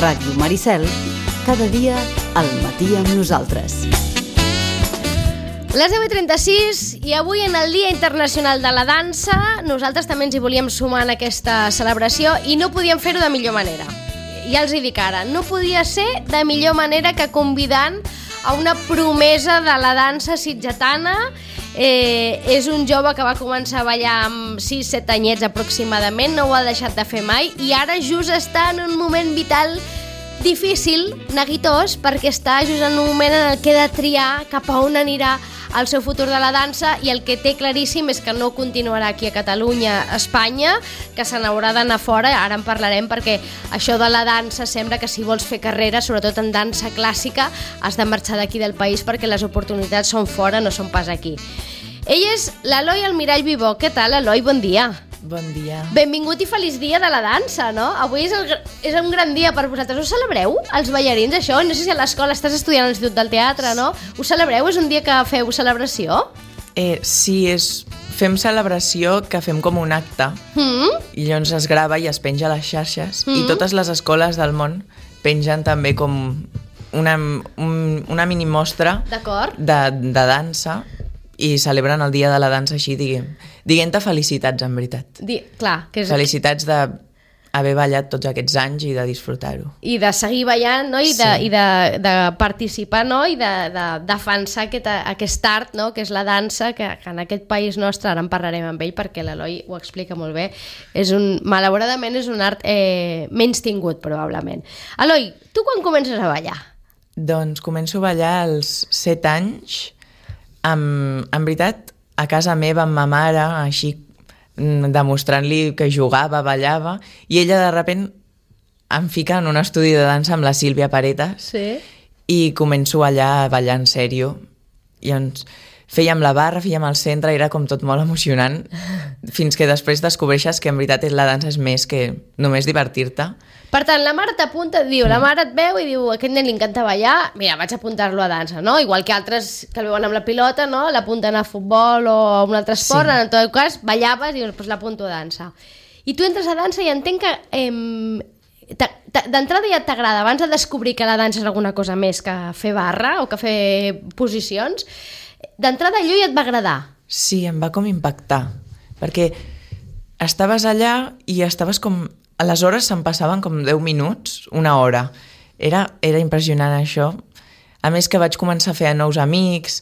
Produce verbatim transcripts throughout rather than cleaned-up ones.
Ràdio Maricel, cada dia al matí amb nosaltres. Les deu i trenta-sis i avui en el Dia Internacional de la Dansa nosaltres també ens hi volíem sumar en aquesta celebració i no podíem fer-ho de millor manera. Ja els hi dic ara, no podia ser de millor manera que convidant a una promesa de la dansa sitgetana. Eh, és un jove que va començar a ballar amb sis set anyets aproximadament, no ho ha deixat de fer mai i ara just està en un moment vital difícil, neguitós, perquè està just en un moment en el que ha de triar cap a on anirà el seu futur de la dansa i el que té claríssim és que no continuarà aquí a Catalunya, a Espanya, que se n'haurà d'anar fora, ara en parlarem perquè això de la dansa sembla que si vols fer carrera, sobretot en dansa clàssica, has de marxar d'aquí del país perquè les oportunitats són fora, no són pas aquí. Ell és l'Eloi Almirall Vivó. Què tal, Eloi? Bon dia. Bon dia. Benvingut i feliç dia de la dansa, no? Avui és, el, és un gran dia per vosaltres. Ho celebreu, els ballarins, això? No sé si a l'escola estàs estudiant a l'Institut del Teatre, no? Ho celebreu? És un dia que feu celebració? Eh, sí, és... fem celebració que fem com un acte mm? i llavors es grava i es penja a les xarxes mm? i totes les escoles del món pengen també com una, un, una mini mostra de, de dansa i celebren el dia de la dansa així, diguem. Diguem-te felicitats, en veritat. Di, clar, que és... Felicitats d'haver ballat tots aquests anys i de disfrutar-ho. I de seguir ballant, no? I, de, sí. i de, de participar, no? I de, de defensar aquest, aquest art, no? Que és la dansa, que, que en aquest país nostre, ara en parlarem amb ell perquè l'Eloi ho explica molt bé, és un, malauradament és un art eh, menys tingut, probablement. Eloi, tu quan comences a ballar? Doncs començo a ballar als set anys. Amb, en veritat, a casa meva amb ma mare, així demostrant-li que jugava, ballava, i ella de repent em fica en un estudi de dansa amb la Sílvia Paretas sí. i començo allà a ballar en sèrio. I ens fèiem la barra, fèiem el centre, era com tot molt emocionant, fins que després descobreixes que en veritat la dansa és més que només divertir-te. Per tant, la mare t'apunta, diu, la mare et veu i diu, a aquest nen li encanta ballar, mira, vaig a apuntar-lo a dansa, no? Igual que altres que el veuen amb la pilota, no? L'apunten a futbol o a un altre esport, sí. En tot cas, ballaves i dius, pues l'apunto a dansa. I tu entres a dansa i entenc que eh, d'entrada ja t'agrada, abans de descobrir que la dansa és alguna cosa més que fer barra o que fer posicions, d'entrada allò ja et va agradar. Sí, em va com impactar, perquè estaves allà i estaves com... Les hores se'n passaven com deu minuts, una hora. Era, era impressionant això. A més que vaig començar a fer nous amics,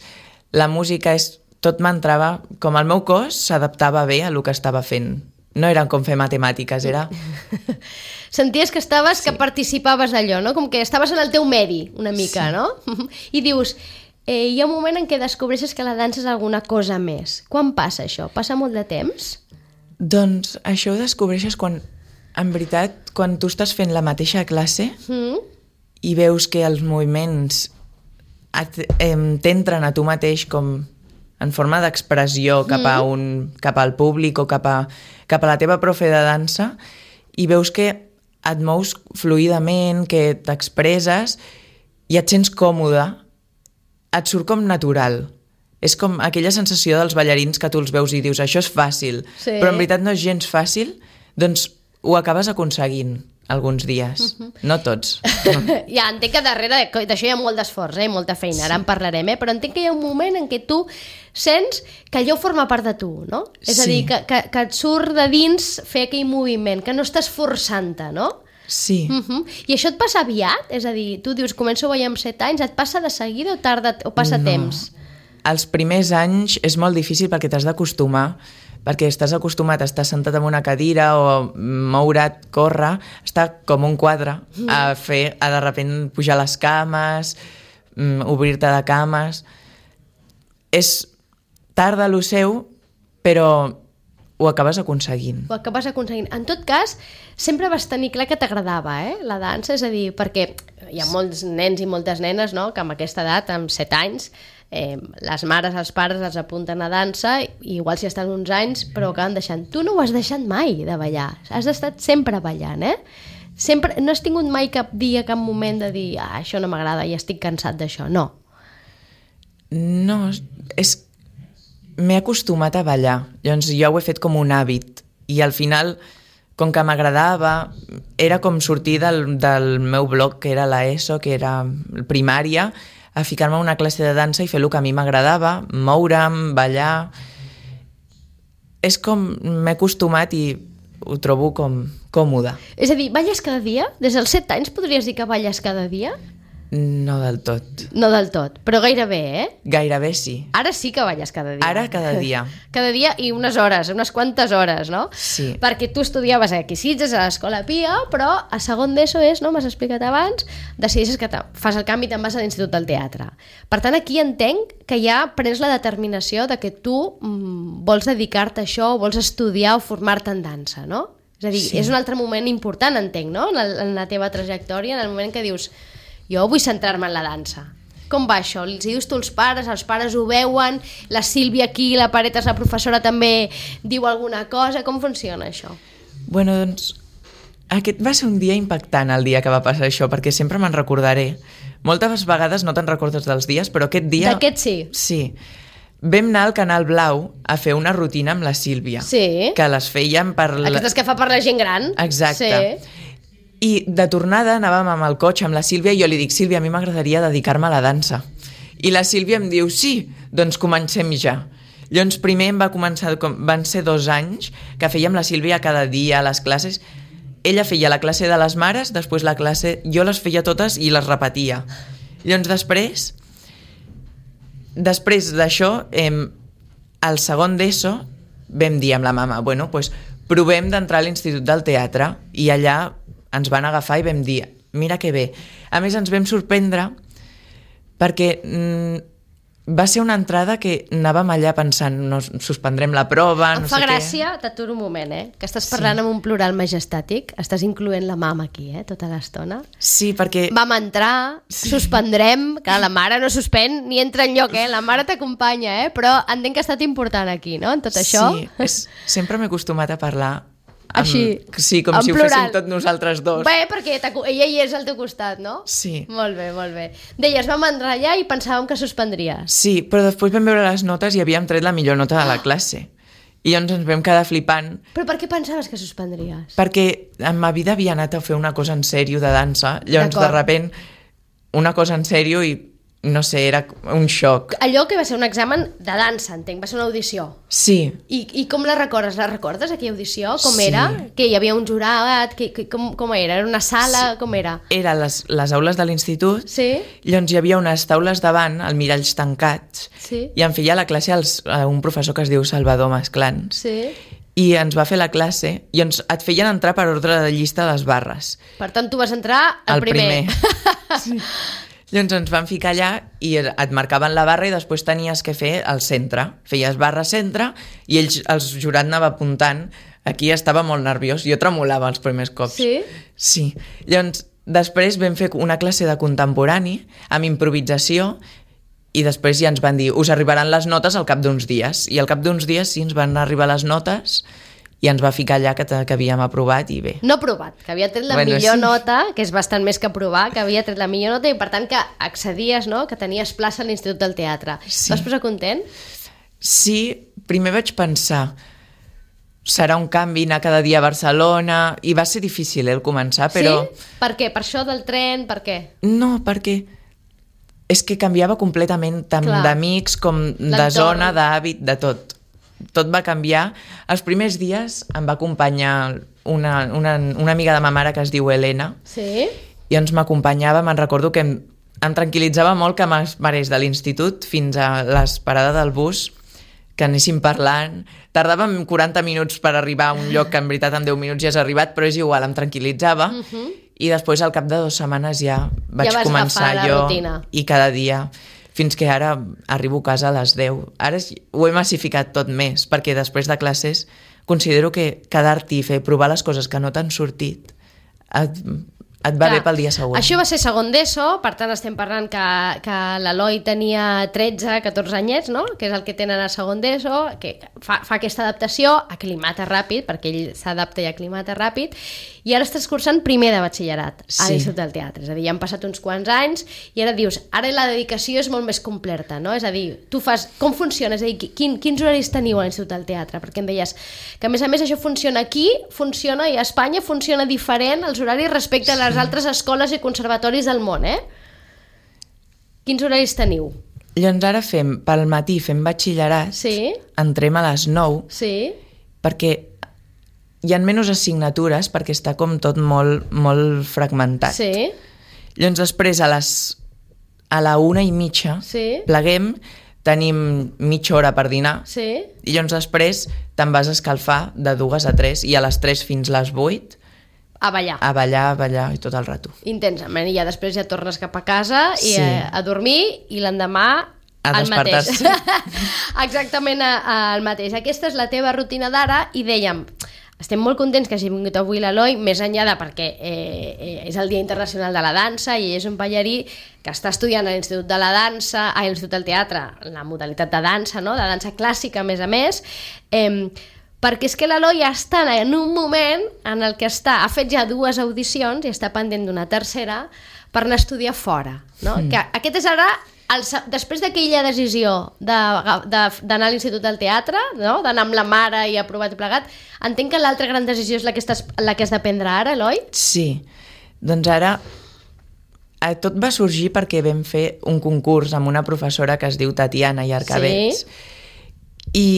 la música és, tot m'entrava, com el meu cos s'adaptava bé a el que estava fent. No era com fer matemàtiques, era... Senties que estaves, sí. Que participaves d'allò, no? Com que estaves en el teu medi, una mica, sí. No? I dius, eh, hi ha un moment en què descobreixes que la dansa és alguna cosa més. Quan passa això? Passa molt de temps? Doncs això ho descobreixes quan... En veritat, quan tu estàs fent la mateixa classe mm. i veus que els moviments t'entren a tu mateix com en forma d'expressió cap, a un, cap al públic o cap a, cap a la teva profe de dansa i veus que et mous fluidament, que t'expresses i et sents còmode, et surt com natural. És com aquella sensació dels ballarins que tu els veus i dius això és fàcil, sí. Però en veritat no és gens fàcil, doncs ho acabes aconseguint alguns dies, uh-huh. No tots. No. Ja, entenc que darrere d'això hi ha molt d'esforç, eh? Molta feina, ara en parlarem, eh? Però entenc que hi ha un moment en què tu sents que allò forma part de tu, no? És sí. A dir, que, que, que et surt de dins fer aquell moviment, que no estàs forçant-te, no? Sí. Uh-huh. I això et passa aviat? És a dir, tu dius, començo a ballar amb set anys, et passa de seguida o tarda o passa no. temps? Els primers anys és molt difícil perquè t'has d'acostumar, perquè estàs acostumat a estar sentat en una cadira o moure't, córrer, estar com un quadre, a fer, a de repent pujar les cames, obrir-te de cames. És tard de lo seu, però ho acabes aconseguint. Ho acabes aconseguint. En tot cas, sempre vas tenir clar que t'agradava, eh, la dansa, és a dir, perquè hi ha molts nens i moltes nenes, no?, que amb aquesta edat, amb set anys, Eh, les mares, els pares els apunten a dansa i igual si estan uns anys però acaben deixant. Tu no ho has deixat mai de ballar, has estat sempre ballant, eh? Sempre, no has tingut mai cap dia, cap moment de dir ah, això no m'agrada i estic cansat d'això, no. No, és... m'he acostumat a ballar, llavors jo ho he fet com un hàbit i al final com que m'agradava, era com sortir del, del meu blog, que era l'ESO, que era primària, a ficar-me a una classe de dansa i fer el que a mi m'agradava, moure'm, ballar... És com m'he acostumat i ho trobo com còmode. És a dir, balles cada dia? Des dels set anys podries dir que balles cada dia? No del tot. No del tot, però gairebé, eh? Gairebé sí. Ara sí que balles cada dia. Ara cada dia. Cada dia i unes hores, unes quantes hores, no? Sí. Perquè tu estudiaves aquí a Sitges, a l'Escola Pia, però a segon d'ESO és, no? M'has explicat abans, decideixes que fas el canvi i te'n vas a l'Institut del Teatre. Per tant, aquí entenc que ja prens la determinació de que tu mm, vols dedicar-te a això, vols estudiar o formar-te en dansa, no? És a dir, sí. És un altre moment important, entenc, no? En la, en la teva trajectòria, en el moment que dius jo vull centrar-me en la dansa. Com va això? Els dius tu als pares, els pares ho veuen, la Sílvia aquí, la Paretes, la professora també diu alguna cosa, com funciona això? Bueno, doncs, aquest va ser un dia impactant el dia que va passar això, perquè sempre me'n recordaré. Moltes vegades no te'n recordes dels dies, però aquest dia... D'aquest sí? Sí. Vam anar al Canal Blau a fer una rutina amb la Sílvia. Sí. Que les fèiem per... La... Aquestes que fa per la gent gran. Exacte. Sí. I de tornada anàvem amb el cotxe amb la Sílvia i jo li dic, Sílvia, a mi m'agradaria dedicar-me a la dansa. I la Sílvia em diu, sí, doncs comencem ja. Llavors primer em va començar, van ser dos anys que fèiem la Sílvia cada dia a les classes. Ella feia la classe de les mares, després la classe... Jo les feia totes i les repetia. Llavors després, després d'això, eh, al segon d'ESO vam dir amb la mama, bueno, doncs provem d'entrar a l'Institut del Teatre i allà ens van agafar i vam dir, mira que bé. A més, ens vam sorprendre perquè mm, va ser una entrada que anàvem allà pensant, no, suspendrem la prova, em no fa sé gràcia, què. t'aturo un moment, eh? Que estàs parlant sí. Amb un plural majestàtic, estàs incloent la mama aquí, eh? Tota l'estona. Sí, perquè... Vam entrar, sí. Suspendrem, que la mare no suspèn ni entra enlloc, eh? La mare t'acompanya, eh? Però entenc que ha estat important aquí, no? En tot això. Sí, és, sempre m'he acostumat a parlar amb, així, sí, com si plural. Ho féssim tot nosaltres dos. Bé, perquè ella hi és al teu costat, no? Sí. Molt bé, molt bé. Deies, vam entrar allà i pensàvem que suspendries. Sí, però després vam veure les notes i havíem tret la millor nota de la classe. I llavors ens vam quedar flipant. Però per què pensaves que suspendries? Perquè en ma vida havia anat a fer una cosa en sèrio de dansa, llavors de repent una cosa en sèrio i no sé, era un xoc. Allò que va ser un examen de dansa, entenc, va ser una audició. Sí. I, i com la recordes? La recordes, aquella audició? Com sí. Era? Que hi havia un jurat? Que, que, com, com era? Era una sala? Sí. Com era? Era les, les aules de l'institut. Sí. Llavors hi havia unes taules davant, el miralls tancats, sí. I em feia la classe als, a un professor que es diu Salvador Masclans. Sí. I ens va fer la classe i ens, et feien entrar per ordre de llista de les barres. Per tant, tu vas entrar el, el primer. primer. Sí. Llavors ens van ficar allà i et marcaven la barra i després tenies que fer el centre. Feies barra centre i ells, el jurat anava apuntant. Aquí estava molt nerviós. Jo tremolava els primers cops. Sí? Sí. Llavors, després vam fer una classe de contemporani amb improvisació i després ja ens van dir us arribaran les notes al cap d'uns dies. I al cap d'uns dies sí ens van arribar les notes i ens va ficar allà que, que havíem aprovat i bé. No aprovat, que havia tret la bueno, millor sí. nota, que és bastant més que aprovar, que havia tret la millor nota i per tant que accedies, no? Que tenies plaça a l'Institut del Teatre. Sí. Vas posar content? Sí, primer vaig pensar serà un canvi anar cada dia a Barcelona i va ser difícil eh, el començar, però... Sí? Per què? Per això del tren? Per què? No, perquè és que canviava completament tant d'amics com de zona, d'hàbit, de tot. Tot va canviar. Els primers dies em va acompanyar una, una, una amiga de ma mare que es diu Helena. Sí? I ens m'acompanyava, me'n recordo que em, em tranquil·litzava molt que m'esperés de l'institut fins a l'esperada del bus, que anéssim parlant. Tardàvem quaranta minuts per arribar a un lloc que en veritat en deu minuts ja has arribat, però és igual, em tranquil·litzava. Uh-huh. I després al cap de dues setmanes ja vaig ja començar jo rutina. I cada dia... fins que ara arribo a casa a les deu. Ara ho he massificat tot més, perquè després de classes considero que quedar-t'hi i fer provar les coses que no t'han sortit et, et va Clar, bé pel dia següent. Això va ser segon d'ESO, per tant estem parlant que, que l'Eloi tenia tretze catorze anyets, no? Que és el que tenen a segon d'ESO, que fa, fa aquesta adaptació, aclimata ràpid, perquè ell s'adapta i aclimata ràpid, i ara estàs cursant primer de batxillerat a Sí. l'Institut del Teatre. És a dir, ja han passat uns quants anys i ara dius, ara la dedicació és molt més completa, no? És a dir, tu fas... Com funciona? És a dir, quin, quins horaris teniu a l'Institut del Teatre? Perquè em deies que, a més a més, això funciona aquí, funciona i a Espanya funciona diferent els horaris respecte a les altres escoles i conservatoris del món, eh? Quins horaris teniu? Llavors ara fem, pel matí fem batxillerat, Sí, entrem a les nou, sí, perquè hi ha menys assignatures, perquè està com tot molt, molt fragmentat. sí, Llavors després a les a la una i mitja sí, pleguem, tenim mitja hora per dinar, sí. i llavors després te'n vas a escalfar de dues a tres, i a les tres fins les vuit A ballar. a ballar, a ballar i tot el rato. Intensament. I ja després ja tornes cap a casa i Sí. a, a dormir i l'endemà A el mateix. despertar-se. Exactament a, a, el mateix. Aquesta és la teva rutina d'ara i dèiem, estem molt contents que hagi vingut avui l'Eloi, més enllà de perquè eh, eh, és el Dia Internacional de la Dansa i és un ballarí que està estudiant a l'Institut de la Dansa, a l'Institut del Teatre, la modalitat de dansa, no? De dansa clàssica, a més a més, eh, perquè és que l'Eloi està en un moment en el que està, ha fet ja dues audicions i està pendent d'una tercera per anar a estudiar fora, no? Mm. Que aquest és ara, el, després d'aquella decisió d'anar de, de, a l'Institut del Teatre, no? D'anar amb la mare i aprovar tot plegat, entenc que l'altra gran decisió és la que, estàs, la que has de prendre ara, Eloi? Sí, doncs ara eh, tot va sorgir perquè vam fer un concurs amb una professora que es diu Tatiana Iarcabets, Sí. i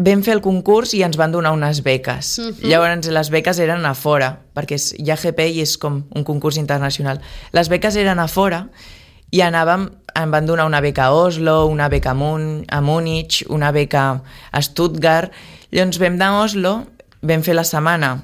vam fer el concurs i ens van donar unes beques. Uh-huh. Llavors les beques eren a fora, perquè és I A G P i és com un concurs internacional. Les beques eren a fora i anàvem, em van donar una beca a Oslo, una beca a, Mun, a Múnich, una beca a Stuttgart. Llavors vam anar a Oslo, vam fer la setmana,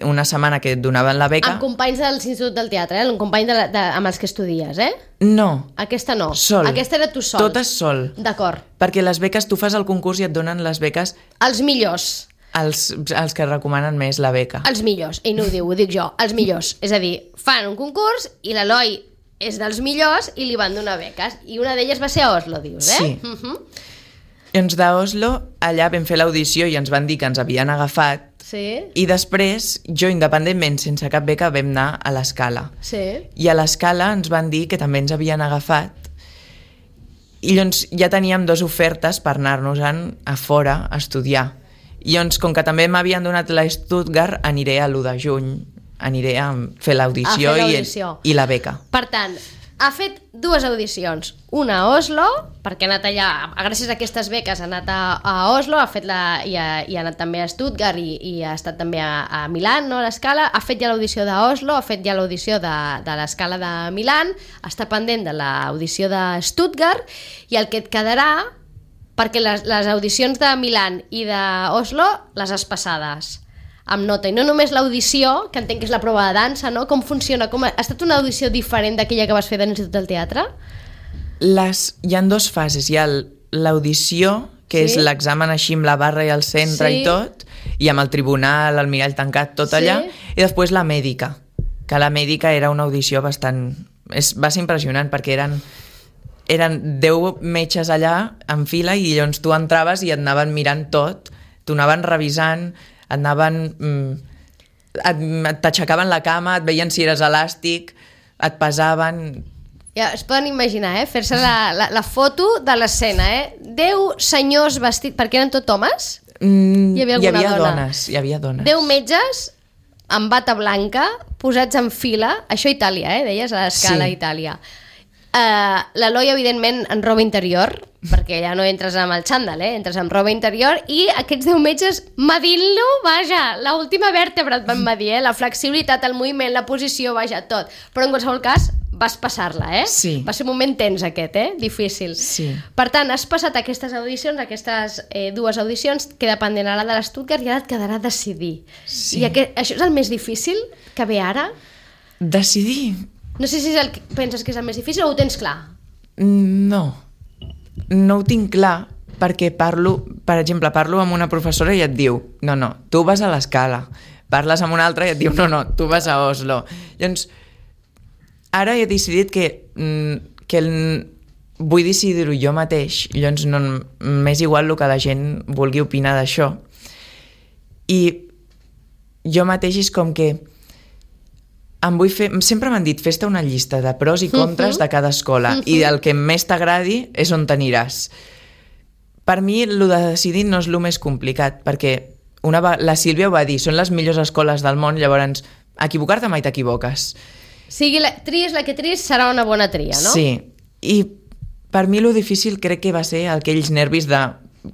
una setmana que et donaven la beca. Amb companys de l'Institut del Teatre, eh? Un company de la, de, amb els que estudies, eh? No, Aquesta no. sol. Aquesta era tu sol. Totes sol. D'acord. Perquè les beques, tu fas el concurs i et donen les beques Els millors. als, als que recomanen més la beca. Els millors. Ell no ho diu, ho dic jo. Els millors. És a dir, fan un concurs i l'Eloi és dels millors i li van donar beques. I una d'elles va ser a Oslo, dius, eh? Sí. Uh-huh. Llavors d'Oslo, allà vam fer l'audició i ens van dir que ens havien agafat. Sí, I després, jo independentment, sense cap beca, vam anar a l'Escala. sí. I a l'Escala ens van dir que també ens havien agafat. I llavors ja teníem dues ofertes per anar-nos-en a fora a estudiar. I llavors, com que també m'havien donat la Stuttgart, aniré a l'u de juny, aniré a fer l'audició A fer i, l'audició. i la beca. Per tant, ha fet dues audicions. Una a Oslo, perquè ha anat allà, gràcies a aquestes beques ha anat a, a Oslo, ha fet la, i, ha, i ha anat també a Stuttgart i, i ha estat també a, a Milan, no, a l'Escala. Ha fet ja l'audició d'Oslo, ha fet ja l'audició de, de l'Escala de Milan, està pendent de l'audició de Stuttgart, i el que et quedarà, perquè les, les audicions de Milan i d'Oslo les has passades amb nota, i no només l'audició, que entenc que és la prova de dansa, no? Com funciona? Com ha, ha estat una audició diferent d'aquella que vas fer de l'Institut del Teatre? Les, hi ha dues fases. Hi ha l'audició, que Sí. és l'examen així amb la barra i el centre Sí. i tot, i amb el tribunal, el mirall tancat, tot Sí. allà, i després la mèdica, que la mèdica era una audició bastant... És, va ser impressionant, perquè eren, eren deu metges allà en fila, i llavors tu entraves i et anaven mirant tot, t'ho anaven revisant, et anaven... Mm, t'aixecaven la cama, et veien si eres elàstic, et pesaven... Ja es poden imaginar, eh? Fer-se la, la, la foto de l'escena, eh? Deu senyors vestits... Perquè eren tot homes? Mm, Hi havia hi alguna havia dona? dones, hi havia dones. Deu metges amb bata blanca, posats en fila, això a Itàlia, eh? Deies, a l'Escala, Sí. Itàlia. Uh, L'Eloi, evidentment, en roba interior, perquè ja no entres amb el xandall, eh? Entres amb roba interior, i aquests deu metges medint-lo, vaja, l'última vèrtebra et van medir, eh? La flexibilitat, el moviment, la posició, vaja, tot. Però en qualsevol cas, vas passar-la, eh? Sí. Va ser un moment tens aquest, eh? Difícil. Sí. Per tant, has passat aquestes audicions, aquestes eh, dues audicions, queda pendent ara de l'Stuttgart i ara et quedarà decidir. Sí. I aquest, això és el més difícil que ve ara? Decidir? No sé si és el que penses que és el més difícil o ho tens clar? No. No ho tinc clar, perquè parlo, per exemple, parlo amb una professora i et diu, no, no, tu vas a l'Escala, parles amb un altre i et diu no, no, tu vas a Oslo. Llavors, ara he decidit que, que el, vull decidir-ho jo mateix, llavors no, m'és igual el que la gent vulgui opinar d'això. I jo mateix és com que em vull fer, sempre m'han dit fes-te una llista de pros i contres uh-huh. de cada escola uh-huh. i el que més t'agradi és on t'aniràs. Per mi el de decidir no és el més complicat, perquè una, la Sílvia ho va dir, són les millors escoles del món, llavors equivocar-te mai t'equivoques. Sigui la, tries la que tries, serà una bona tria, no? Sí, i per mi el difícil crec que va ser aquells nervis de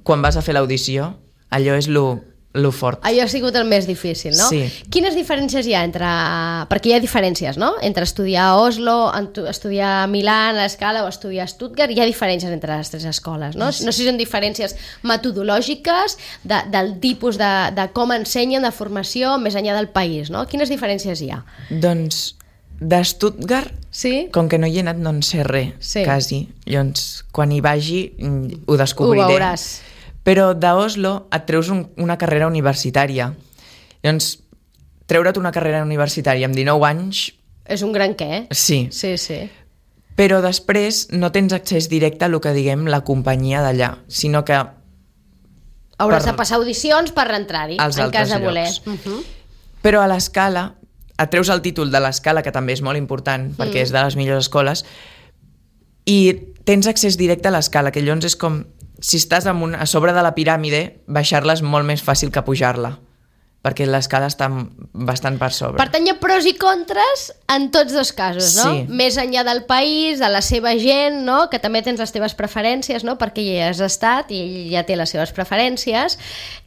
quan vas a fer l'audició, allò és lo lo fort. Allò ha sigut el més difícil, no? Sí. Quines diferències hi ha entre... Perquè hi ha diferències, no? Entre estudiar a Oslo, estudiar a Milà, a l'Escala, o estudiar a Stuttgart, hi ha diferències entre les tres escoles, no? Sí. No sé si són diferències metodològiques, de, del tipus de, de com ensenyen, de formació, més enllà del país, no? Quines diferències hi ha? Doncs de Stuttgart, sí? Com que no hi he anat, no en sé res, sí. quasi. Llavors, quan hi vagi, ho descobriré. Ho veuràs. Però d'Oslo et treus un, una carrera universitària. Llavors, treure't una carrera universitària amb dinou anys... És un gran què, eh? Sí. Sí, sí. Però després no tens accés directe a el que diguem la companyia d'allà, sinó que... Hauràs per... de passar audicions per rentrar-hi, en cas de voler. Uh-huh. Però a l'Escala, et treus el títol de l'Escala, que també és molt important, mm. perquè és de les millors escoles, i tens accés directe a l'Escala, que llavors és com... Si estàs un, a sobre de la piràmide, baixar-la és molt més fàcil que pujar-la, perquè l'escala està bastant per sobre. Per tant, hi ha pros i contres en tots dos casos, no? Sí. Més enllà del país, de la seva gent, no? Que també tens les teves preferències, no? Perquè ja has estat i ell ja té les seves preferències.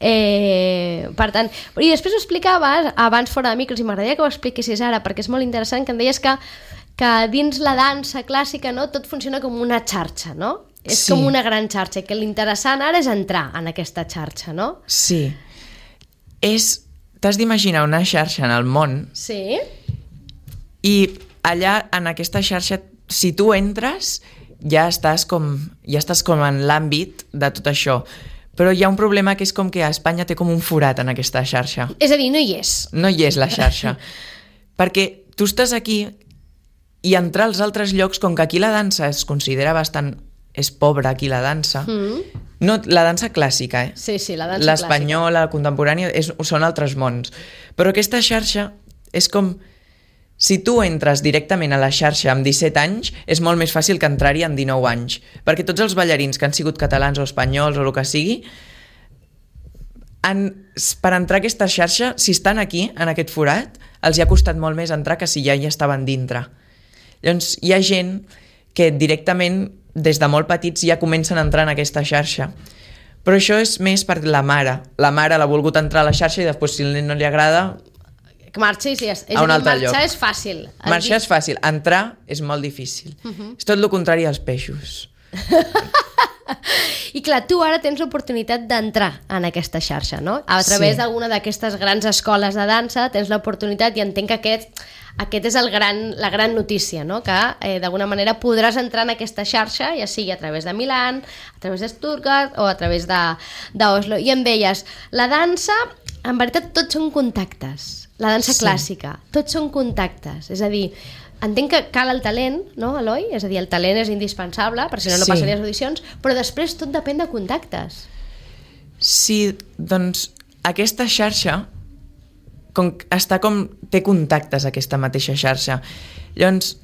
Eh, per tant, i després ho explicaves abans fora de micros, i m'agradaria que ho expliquessis ara, perquè és molt interessant, que em deies que, que dins la dansa clàssica, no? Tot funciona com una xarxa, no? És sí. Com una gran xarxa, que l'interessant ara és entrar en aquesta xarxa, no? Sí. És... T'has d'imaginar una xarxa en el món. Sí. I allà, en aquesta xarxa, si tu entres, ja estàs com, ja estàs com en l'àmbit de tot això. Però hi ha un problema que és com que a Espanya té com un forat en aquesta xarxa. És a dir, no hi és. No hi és la xarxa. Perquè tu estàs aquí i entrar als altres llocs, com que aquí la dansa es considera bastant... és pobra aquí la dansa. Mm. No, la dansa clàssica, eh? Sí, sí, la dansa l'espanyola, la contemporània, és, són altres mons. Però aquesta xarxa és com... Si tu entres directament a la xarxa amb disset anys, és molt més fàcil que entrar-hi amb dinou anys. Perquè tots els ballarins que han sigut catalans o espanyols o el que sigui, han, per entrar a aquesta xarxa, si estan aquí, en aquest forat, els hi ha costat molt més entrar que si ja hi estaven dintre. Llavors, hi ha gent que directament... des de molt petits ja comencen a entrar en aquesta xarxa. Però això és més per la mare. La mare l'ha volgut entrar a la xarxa i després, si el nen no li agrada... Que marxi, sí, és, és a un altre marxar lloc. és fàcil. Marxar és fàcil, entrar és molt difícil. Uh-huh. És tot el contrari als peixos. I clar, tu ara tens l'oportunitat d'entrar en aquesta xarxa, no? A través sí. d'alguna d'aquestes grans escoles de dansa tens l'oportunitat, i entenc que aquest, aquest és el gran, la gran notícia, no? Que eh, d'alguna manera podràs entrar en aquesta xarxa, ja sigui a través de Milà, a través de Stuttgart o a través d'Oslo. I em deies, la dansa, en veritat tots són contactes, la dansa sí. clàssica, tots són contactes, és a dir, entenc que cal el talent, no, Eloi? És a dir, el talent és indispensable, perquè si no no sí. passaries audicions, però després tot depèn de contactes. Sí, doncs aquesta xarxa com, està com... té contactes, aquesta mateixa xarxa. Llavors...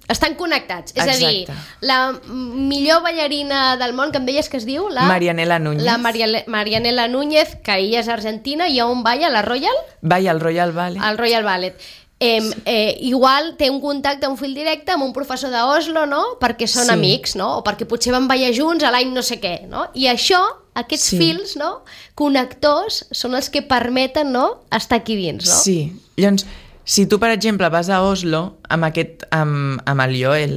Estan connectats, és Exacte. a dir, la millor ballarina del món, que em deies que es diu? La Marianela Núñez. La Mariale, Marianela Núñez, que ella és argentina, i on balla? La Royal? Balla al Royal Ballet. Al Royal Ballet. Eh, eh, igual té un contacte, un fil directe amb un professor d'Oslo, no? Perquè són sí. amics, no? O perquè potser van ballar junts a l'any no sé què, no? I això, aquests sí. fils, no? Connectors, són els que permeten, no? Estar aquí dins, no? Sí. Llavors, si tu, per exemple, vas a Oslo amb, aquest, amb, amb el Joel,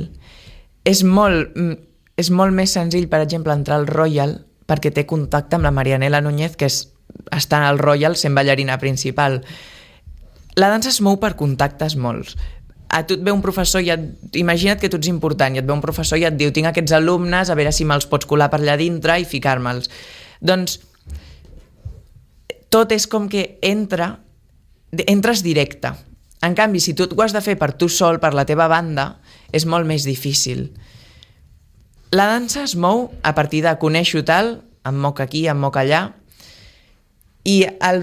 és molt, és molt més senzill, per exemple, entrar al Royal perquè té contacte amb la Marianela Núñez, que és, està al Royal sent ballarina principal. La dansa es mou per contactes molts. A tu et ve un professor i et... Imagina't que tu ets important i et ve un professor i et diu tinc aquests alumnes, a veure si me'ls pots colar per allà dintre i ficar-me'ls. Doncs tot és com que entra entres directe. En canvi, si tu ho has de fer per tu sol, per la teva banda, és molt més difícil. La dansa es mou a partir de conèixer-ho tal, em moc aquí, em moc allà, i el,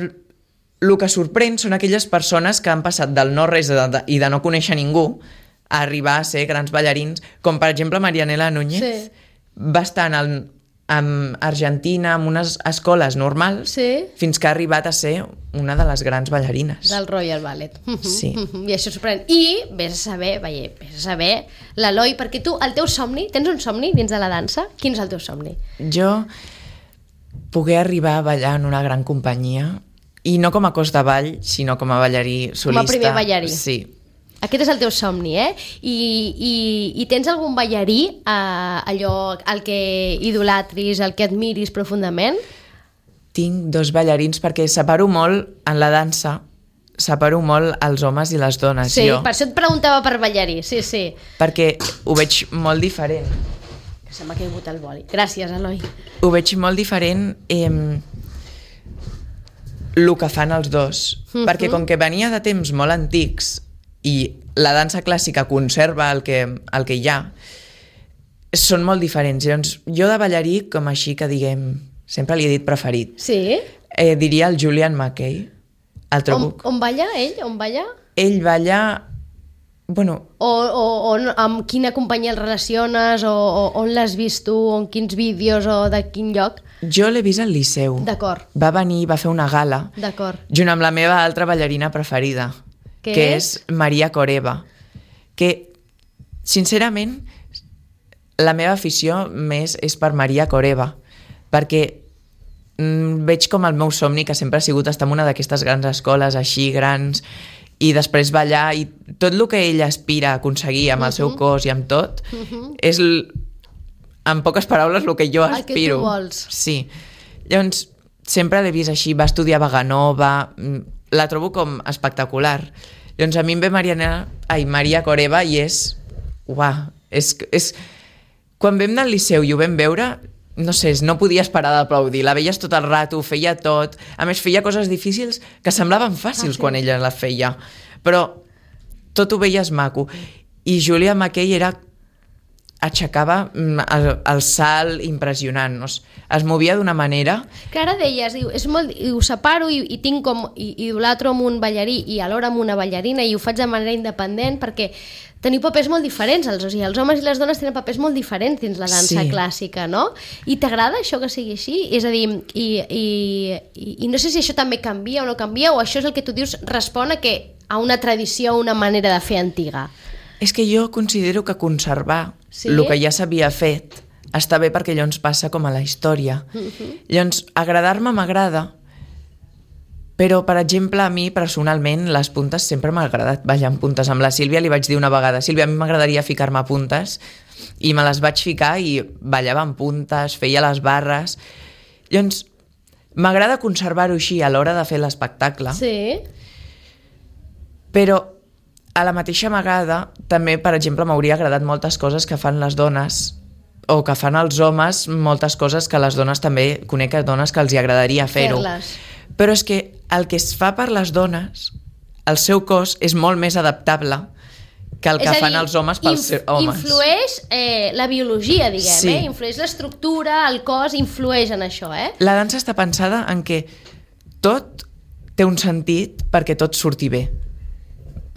el que sorprèn són aquelles persones que han passat del no-res i de no conèixer ningú a arribar a ser grans ballarins, com per exemple Marianela Núñez, sí. va estar en, en Argentina en unes escoles normals, sí. fins que ha arribat a ser una de les grans ballarines. Del Royal Ballet. Sí. I això sorprèn. I vés a saber, veia, vés a saber, l'Eloi, perquè tu, el teu somni, tens un somni dins de la dansa? Quin és el teu somni? Jo poder arribar a ballar en una gran companyia, i no com a cos de ball, sinó com a ballarí solista. Com a primer ballarí. Sí. Aquest és el teu somni, eh? I, i, i tens algun ballarí, eh, allò, el que idolatris, el que admiris profundament? Tinc dos ballarins perquè separo molt en la dansa, separo molt els homes i les dones. Sí, jo. Per això et preguntava per ballarí, sí, sí. Perquè ho veig molt diferent. Que se m'ha caigut el boli. Gràcies, Eloi. Ho veig molt diferent eh, el que fan els dos. Uh-huh. Perquè com que venia de temps molt antics i la dansa clàssica conserva el que, el que hi ha, són molt diferents. Llavors, jo de ballarí, com així que diguem, sempre li he dit preferit. Sí? Eh, diria el Julian Mackey, el trobo... On, on balla ell? On balla? Ell balla... Bueno... O, o, o amb quina companyia el relaciones, o, o on l'has vist tu, o en quins vídeos, o de quin lloc? Jo l'he vist al Liceu. D'acord. Va venir, va fer una gala. D'acord. Junt amb la meva altra ballarina preferida, que, que és? és Maria Coreba. Que, sincerament, la meva afició més és per Maria Coreba, perquè mm, veig com el meu somni, que sempre ha sigut estar en una d'aquestes grans escoles així grans, i després ballar, i tot el que ella aspira a aconseguir amb el seu cos i amb tot, uh-huh. és, en poques paraules, el que jo el aspiro. El que tu vols. Sí. Llavors, sempre l'he vist així, va estudiar a Vaganova, la trobo com espectacular. Llavors, a mi em ve Mariana, ai, Maria Coreba i és... Uah, és, és... Quan vam anar al Liceu i ho vam veure, no sé, no podies parar d'aplaudir. La veies tot el rato, feia tot. A més, feia coses difícils que semblaven fàcils ah, sí. quan ella la feia. Però tot ho veies maco. I Julia Mackey era... aixecava el, el salt impressionant. No? Es movia d'una manera... Que ara deies, diu, és molt, i ho separo i, i tinc com... I, idolatro amb un ballarí i alhora amb una ballarina i ho faig de manera independent perquè teniu papers molt diferents. Els, o sigui, els homes i les dones tenen papers molt diferents dins la dansa sí. clàssica, no? I t'agrada això que sigui així? És a dir, i, i, i, i no sé si això també canvia o no canvia, o això és el que tu dius respon a, que, a una tradició o una manera de fer antiga. És que jo considero que conservar sí? el que ja s'havia fet està bé perquè llavors passa com a la història. Uh-huh. Llavors, agradar-me m'agrada, però, per exemple, a mi, personalment, les puntes sempre m'ha agradat ballar amb puntes. Amb la Sílvia li vaig dir una vegada, Sílvia, a mi m'agradaria ficar-me puntes, i me les vaig ficar i ballava amb puntes, feia les barres. Llavors, m'agrada conservar-ho així a l'hora de fer l'espectacle. Sí. Però a la mateixa vegada, també, per exemple, m'hauria agradat moltes coses que fan les dones o que fan els homes, moltes coses que les dones també, conec dones que els hi agradaria fer-ho. Fer-les. Però és que el que es fa per les dones, el seu cos és molt més adaptable que el que dir, fan els homes pels inf- homes. Influeix eh, la biologia, diguem, sí. eh? Influeix l'estructura, el cos, influeix en això, eh? La dansa està pensada en que tot té un sentit perquè tot surti bé.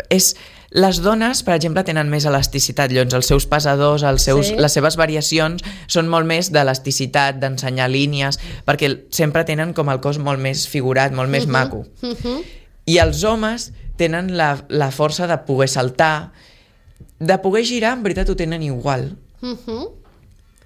És... Les dones, per exemple, tenen més elasticitat, llavors els seus pesadors, els seus, sí. les seves variacions són molt més d'elasticitat, d'ensenyar línies, perquè sempre tenen com el cos molt més figurat, molt més uh-huh. maco. Uh-huh. I els homes tenen la, la força de poder saltar, de poder girar, en veritat ho tenen igual. Uh-huh.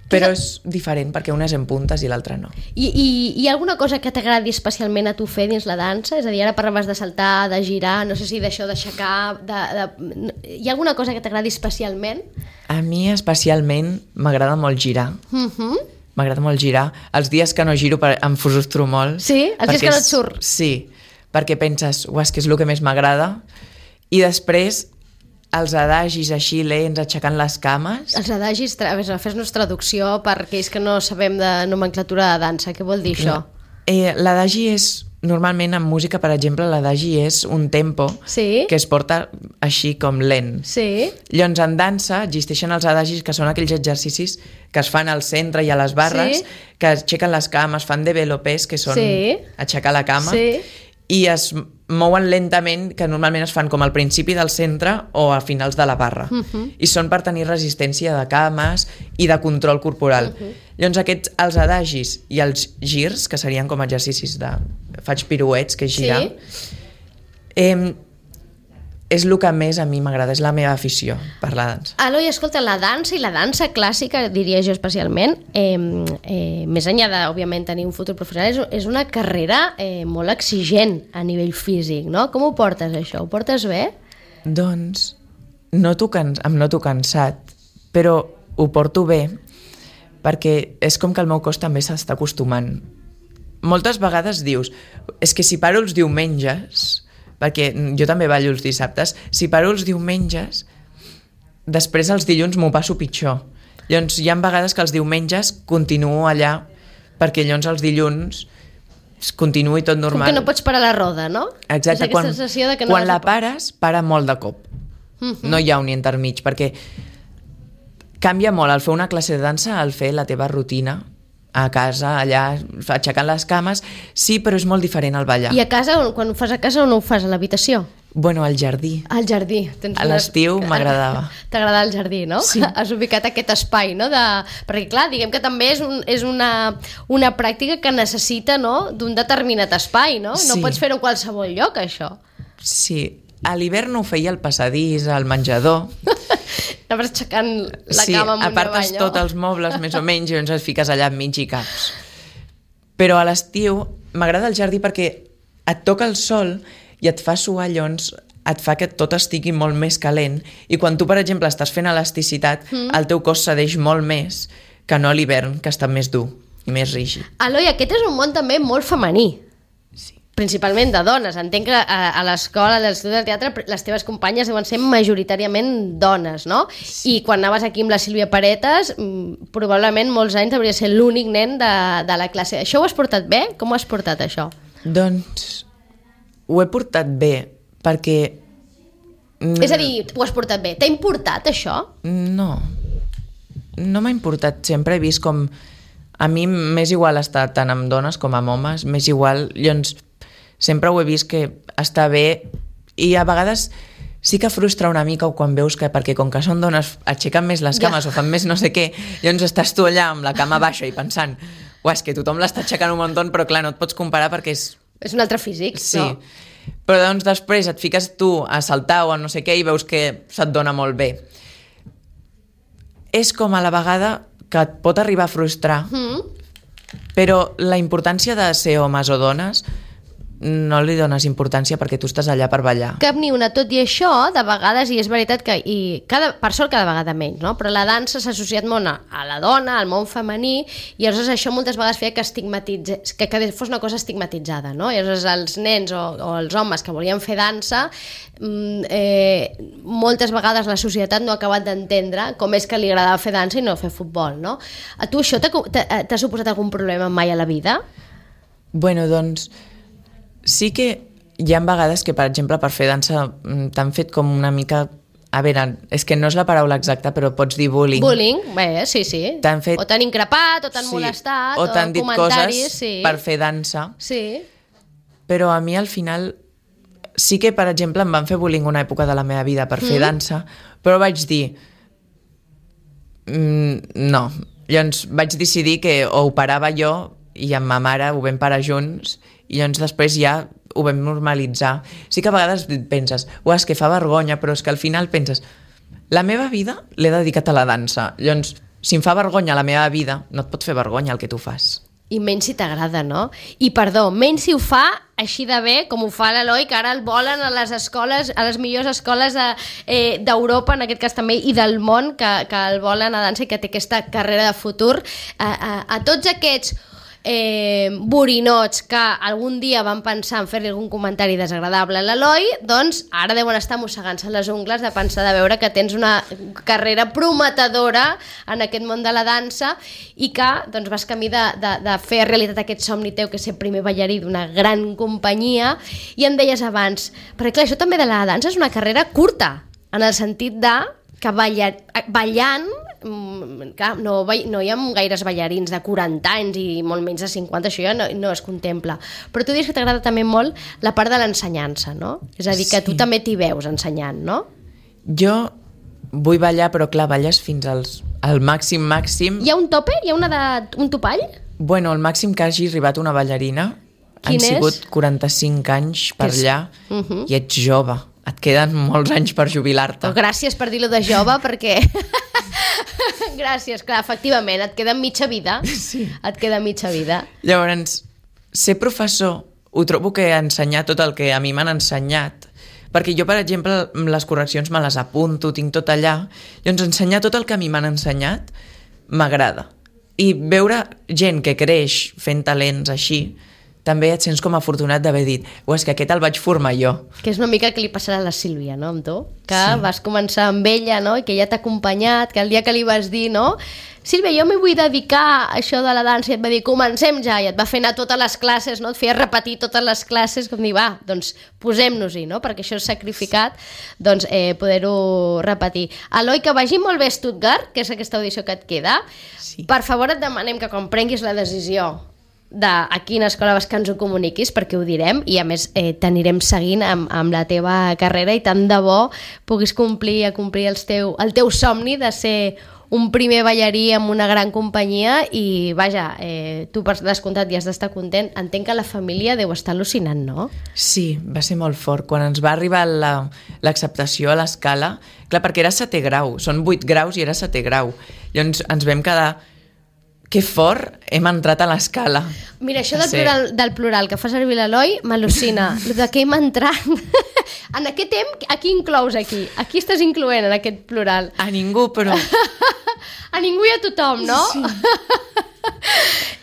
Però és diferent, perquè una és en puntes i l'altra no. I, i hi ha alguna cosa que t'agradi especialment a tu fer dins la dansa? És a dir, ara parlaves de saltar, de girar, no sé si d'això, d'aixecar... De, de... Hi ha alguna cosa que t'agradi especialment? A mi especialment m'agrada molt girar. Uh-huh. M'agrada molt girar. Els dies que no giro em frustro molt. Sí? Els dies que no et surt? Sí, perquè penses, uah, és que és el que més m'agrada. I després... els adagis així lents, aixecant les cames. Els adagis, a veure, fes-nos traducció per aquells que no sabem de nomenclatura de dansa. Què vol dir això? No. Eh, l'adagi és normalment en música, per exemple, l'adagi és un tempo Sí. que es porta així com lent. Sí. Llavors, en dansa existeixen els adagis, que són aquells exercicis que es fan al centre i a les barres, Sí. que aixequen les cames, fan développés, que són Sí. aixecar la cama, Sí. i es mouen lentament, que normalment es fan com al principi del centre o a finals de la barra. Mhm. I són per tenir resistència de cames i de control corporal. Mhm. Llavors, aquests, els adagis i els girs, que serien com exercicis de... faig piruets, que és girar, Sí. eh, és el que més a mi m'agrada, és la meva afició per la dansa. Eloi, escolta, la dansa i la dansa clàssica, diria jo especialment, eh, eh, més enllà de, òbviament, tenir un futur professional, és, és una carrera eh, molt exigent a nivell físic, no? Com ho portes, això? Ho portes bé? Doncs noto can... em noto cansat, però ho porto bé perquè és com que el meu cos també s'està acostumant. Moltes vegades dius, és que si paro els diumenges, perquè jo també ballo els dissabtes, si paro els diumenges, després els dilluns m'ho passo pitjor. Llavors hi ha vegades que els diumenges continuo allà, perquè llavors els dilluns continuï tot normal. Com que no pots parar la roda, no? Exacte, és aquesta quan, sensació de que no quan vas la a... pares, para molt de cop. Mhm. No hi ha un intermig, perquè canvia molt el fer una classe de dansa al fer la teva rutina a casa, allà, aixecant les cames. Sí, però és molt diferent al ballar. I a casa, quan ho fas a casa o no ho fas a l'habitació? Bueno, al jardí. Al jardí. Tens A una- l'estiu m'agradava. T'agrada el jardí, no? Sí. Has ubicat aquest espai, no? De... Perquè, clar, diguem que també és, un, és una, una pràctica que necessita, no?, d'un determinat espai, no? No Sí. pots fer-ho a qualsevol lloc, això. Sí, a l'hivern ho feia al passadís, al menjador. Anaves aixecant la sí, cama amunt i apartes avall, no? tots els mobles, més o menys, i llavors et fiques allà enmig i caps. Però a l'estiu m'agrada el jardí perquè et toca el sol i et fa suar, llavors et fa que tot estigui molt més calent, i quan tu, per exemple, estàs fent elasticitat, mm. el teu cos cedeix molt més que no a l'hivern, que està més dur i més rígid. Eloi, aquest és un món també molt femení. Sí. Principalment de dones. Entenc que a, a l'escola, a l'estudi del teatre, les teves companyes deuen ser majoritàriament dones, no? Sí. I quan anaves aquí amb la Sílvia Paretes, mm, probablement molts anys hauria de ser l'únic nen de, de la classe. Això ho has portat bé? Com ho has portat, això? Doncs ho he portat bé, perquè... mm, És a dir, ho has portat bé. T'ha importat, això? No. No m'ha importat. Sempre he vist com... A mi m'és igual estar tant amb dones com amb homes, m'és igual. Llavors, sempre ho he vist que està bé, i a vegades sí que frustra una mica quan veus que, perquè com que són dones aixequen més les cames Ja. o fan més no sé què, llavors estàs tu allà amb la cama baixa i pensant, uah, és que tothom l'està aixecant un munt, però clar, no et pots comparar perquè és... És un altre físic, Sí. no? Però doncs després et fiques tu a saltar o a no sé què i veus que se't dona molt bé. És com a la vegada que et pot arribar a frustrar, Mm. però la importància de ser homes o dones no li dones importància perquè tu estàs allà per ballar. Cap ni una. Tot i això, de vegades, i és veritat que, i cada, per sort cada vegada menys, no? Però la dansa s'ha associat molt a, a la dona, al món femení, i llavors això moltes vegades feia que, estigmatitze, que, que fos una cosa estigmatitzada, no? I llavors els nens o, o els homes que volien fer dansa, mm, eh, moltes vegades la societat no ha acabat d'entendre com és que li agradava fer dansa i no fer futbol, no? A tu això t'ha t'ha- t'ha suposat algun problema mai a la vida? Bueno, doncs, sí que hi ha vegades que, per exemple, per fer dansa mm, t'han fet com una mica... A veure, és que no és la paraula exacta, però pots dir bullying. Bullying, bé, sí, sí. T'han fet... O t'han increpat, o t'han Sí, molestat, o t'han dit comentaris, coses sí. per fer dansa. Sí. Però a mi al final sí que, per exemple, em van fer bullying una època de la meva vida per fer Mm. dansa, però vaig dir mm, no. Llavors vaig decidir que o ho parava jo i amb ma mare ho vam parar junts, i llavors després ja ho vam normalitzar. Sí que a vegades penses, uah, és que fa vergonya, però és que al final penses, la meva vida l'he dedicat a la dansa. Llavors, si em fa vergonya la meva vida, no et pot fer vergonya el que tu fas. I menys si t'agrada, no? I perdó, menys si ho fa així de bé com ho fa l'Eloi, que ara el volen a les escoles, a les millors escoles de, eh, d'Europa, en aquest cas també, i del món, que, que el volen a dansa i que té aquesta carrera de futur. A, a, a tots aquests eh, borinots que algun dia van pensar en fer-li algun comentari desagradable a l'Eloi, doncs ara deuen estar mossegant-se les ungles de pensar de veure que tens una carrera prometedora en aquest món de la dansa i que doncs, vas camí de, de, de fer realitat aquest somni teu que és ser primer ballarí d'una gran companyia. I em deies abans, perquè clar, això també de la dansa és una carrera curta, en el sentit de que balla, ballant, clar, no, no hi ha gaires ballarins de quaranta anys i molt menys de cinquanta, això ja no, no es contempla. Però tu dius que t'agrada també molt la part de l'ensenyança, no? És a dir, que sí. Tu també t'hi veus ensenyant, no? Jo vull ballar, però clar, balles fins als, al màxim màxim. Hi ha un tope? Hi ha una de, un topall? Bueno, el màxim que hagi arribat una ballarina Quin han és? sigut quaranta-cinc anys per és... allà uh -huh. i ets jove. Et queden molts anys per jubilar-te. Oh, gràcies per dir-lo de jove, perquè... gràcies, clar, efectivament, et queda mitja vida. Sí. Et queda mitja vida. Llavors, ser professor, ho trobo que ensenyar tot el que a mi m'han ensenyat, perquè jo, per exemple, les correccions me les apunto, tinc tot allà, llavors ensenyar tot el que a mi m'han ensenyat m'agrada. I veure gent que creix fent talents així, també et sents com afortunat d'haver dit oh, és que aquest el vaig formar jo. Que és una mica que li passarà a la Sílvia, no, amb tu? Que sí. Vas començar amb ella, no?, i que ella t'ha acompanyat, que el dia que li vas dir, no?, Sílvia, jo m'hi vull dedicar a això de la dansa, i et va dir, comencem ja, i et va fer anar totes les classes, no?, et feia repetir totes les classes, com dir, va, doncs posem-nos-hi, no?, perquè això és sacrificat, doncs eh, poder-ho repetir. Eloi, que vagi molt bé a Stuttgart, que és aquesta audició que et queda, sí. Per favor et demanem que quan prenguis la decisió de a quina escola vas que ens ho comuniquis, perquè ho direm i a més eh, t'anirem seguint amb, amb la teva carrera i tant de bo puguis complir, complir el teu, el teu somni de ser un primer ballarí amb una gran companyia i vaja, eh, tu per descomptat ja has d'estar content. Entenc que la família deu estar al·lucinant, no? Sí, va ser molt fort. Quan ens va arribar la, l'acceptació a l'escala, clar, perquè era setè grau, són vuit graus i era setè grau. Llavors ens vam quedar que fort hem entrat a l'escala. Mira, això del plural, del plural que fa servir l'Eloi m'al·lucina. El de que hem entrat... en aquest temps, a qui inclous aquí? A qui estàs incloent en aquest plural? A ningú, però... a ningú i a tothom, no? Sí.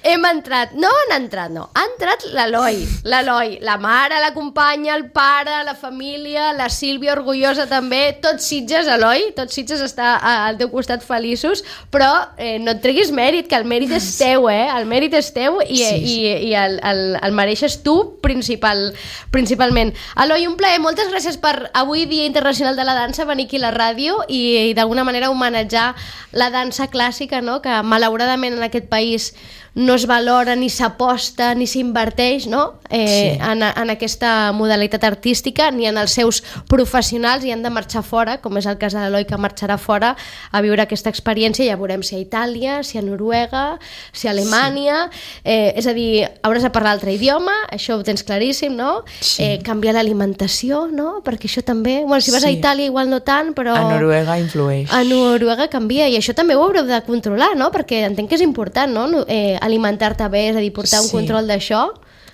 Hem entrat, no han entrat, no, ha entrat l'Eloi, l'Eloi, la mare, la companya, el pare, la família, la Sílvia orgullosa també, tots Sitges, Eloi, tots Sitges està al teu costat feliços, però eh, no et treguis mèrit, que el mèrit és teu, eh? El mèrit és teu i, sí, sí. i, i el, el, el mereixes tu principal, principalment. Eloi, un plaer, moltes gràcies per avui, Dia Internacional de la Dansa, venir aquí a la ràdio i, i d'alguna manera homenatjar la dansa clàssica, no?, que malauradament en aquest país no es valora, ni s'aposta, ni s'inverteix, no?, eh, sí. en, en aquesta modalitat artística, ni en els seus professionals, i han de marxar fora, com és el cas de l'Eloi, que marxarà fora a viure aquesta experiència. Ja veurem si a Itàlia, si a Noruega, si a Alemanya, sí. eh, és a dir, hauràs de parlar altre idioma, això ho tens claríssim, no? Sí. Eh, canviar l'alimentació, no?, perquè això també... Bueno, si vas sí. a Itàlia igual no tant, però... A Noruega influeix. A Noruega canvia, i això també ho haureu de controlar, no?, perquè entenc que és important, no?, eh, alimentar-te bé, és a dir, portar sí. un control d'això.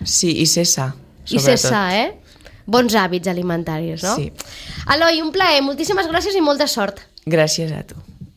Sí, i ser sa, sobretot. I ser sa, eh? Bons hàbits alimentaris, no? Sí. Eloi, un plaer, moltíssimes gràcies i molta sort. Gràcies a tu.